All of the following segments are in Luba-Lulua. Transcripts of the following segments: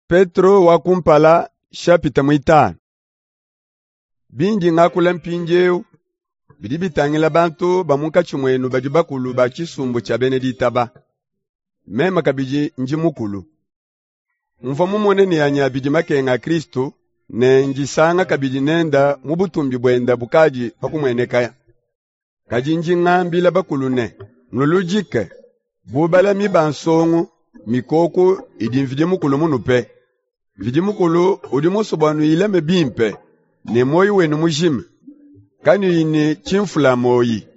Petro wa kumpala shapita muitanu. Bindi ngakula mpindieu bidi bitangila bantu ba munkatshi muenu badi bakulu ba tshisumbu tshia bena ditaba. Meme kabidi ndi mukulu. Mvua mumone ne anyi abidi makenga a Kristo ne ndisanga kabidi nenda mu butumbi buenda bukadi pa kumueneka. Kadi ndi ngambila bakulu ne, nuludike bu balami ba nsongo mikoko idi Mvidi Mukulu munupe. Mvidi Mukulu udi musue bua nuyilame bimpe ne muoyo wenu mujima, kanuyi ne tshimfula muoyi.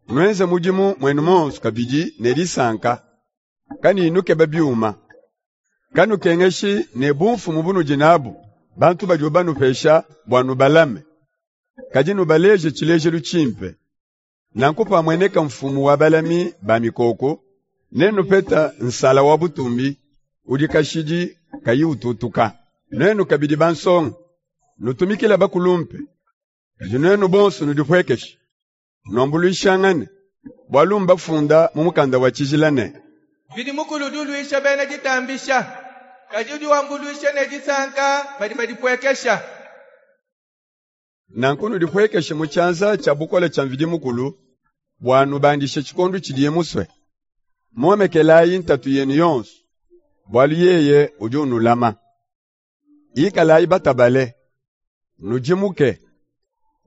Nuenze mudimu muenu monso kabidi ne disanka, kanuyi nukeba biuma. Kanukengeshi ne bumfumu bunudi nabu bantu badibo banupesha bua nubalame, kadi nubaleje tshilejelu tshimpe. Nanku pamueneka mfumu wa balami ba mikoko, nenupeta nsala wa butumbi udi kashidi kayi ututuka. Nuenu kabidi bansonga, nutumikile bakulumpe, kadi nuenu bonso nudipuekeshe, nuambuluishangane, bualu mbafunda mu mukanda wa tshijila ne, Mvidi Mukulu udi uluisha bena ditambisha, kadi udi wambuluisha ne disanka badi badipuekesha. Nanku nudipuekeshe mu tshianza tshia bukole tshia Mvidi Mukulu, bua nubandishe tshikondu tshidiye musue. Muomekelayi ntatu yenu yonso, bualu yeye udi unulama. Ikalayi batabale, nudimuke,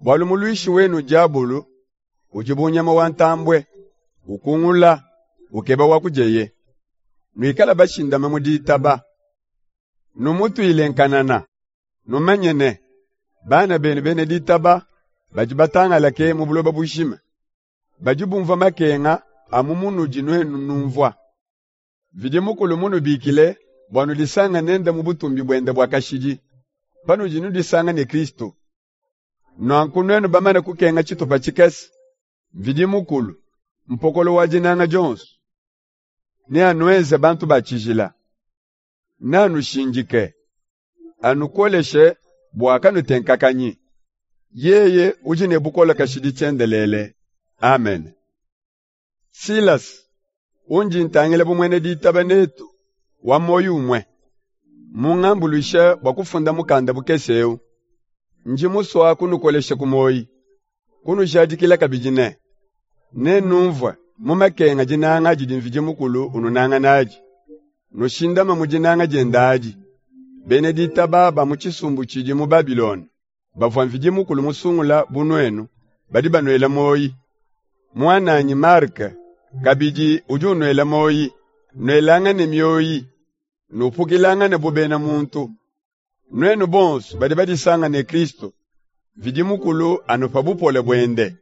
bualu muluishi wenu diabulu udi bu nyama wa ntambue, ukungula, ukeba wa kudieye. Nuikale bashindame mu ditaba, numutuile nkanana. Numanye ne, bana benu bena ditaba badi batangalake mu buloba bujima, badi bumvua makenga amu munudi nuenu numvua. Mvidi Mukulu munubikile bua nudisanga nende mu butumbi buende bua kashidi, panudi nudisanga ne Kristu. Nanku nuenu bamane kukenga tshitupa tshikese, Mvidi Mukulu, mpokolo wa dinanga dionso, neanuenze bantu ba tshijila. Neanushindike, anukoleshe bua kanutenkakanyi. Yeye udi ne bukole kashidi tshiendelele. Amen. Silas, undi ntangila bu muena ditaba netu wa muoyo umue, mungambuluishe bua kufunda mukanda mukese eu. Ndi musua kunukolesha ku muoyi, kunujadikila kabidi ne, nenumvue mu makenga dinanga didi Mvidi Mukulu ununanga nadi. Nushindame mu dinanga diende adi. Bena ditaba ba mu tshisumbu tshidi mu Babilone, bavua Mvidi Mukulu musungula bu nuenu, badi banuela muoyi. Muananyi Marke kabidi udi unuela muoyi. Nuelangane mioyi, nupukilangane bu bena muntu. Nuenu bonso badi badisanga ne Kristo, Mvidi Mukulu anupa bupole buende.